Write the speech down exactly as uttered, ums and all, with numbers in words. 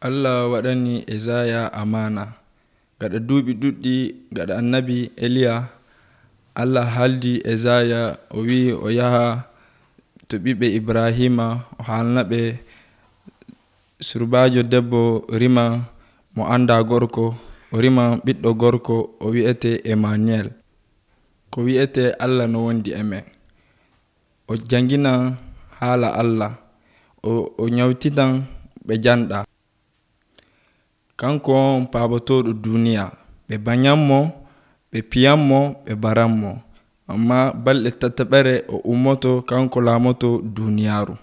Allah waɗani Isaya amana gaɗa duuɓi ɗuɗɗi gaɗa annabi Eliya. Allah haldi Isaya o wi o yaha to ɓiɓɓe Ibrahima o haalnaɓe surbajo debbo rima mo anda gorko, o rima ɓiɗɗo gorko o wi'ete Emmanuel, ko wi'ete Allah no wondi e men. O janginan haala Allah, o, o nyawtitan ɓe janɗa. Kanko on paabotoɗo duniya, ɓe banyanmo, ɓe piyanmo, ɓe baranmo, amma balɗe tataɓere o ummoto kanko laamoto duniyaaru.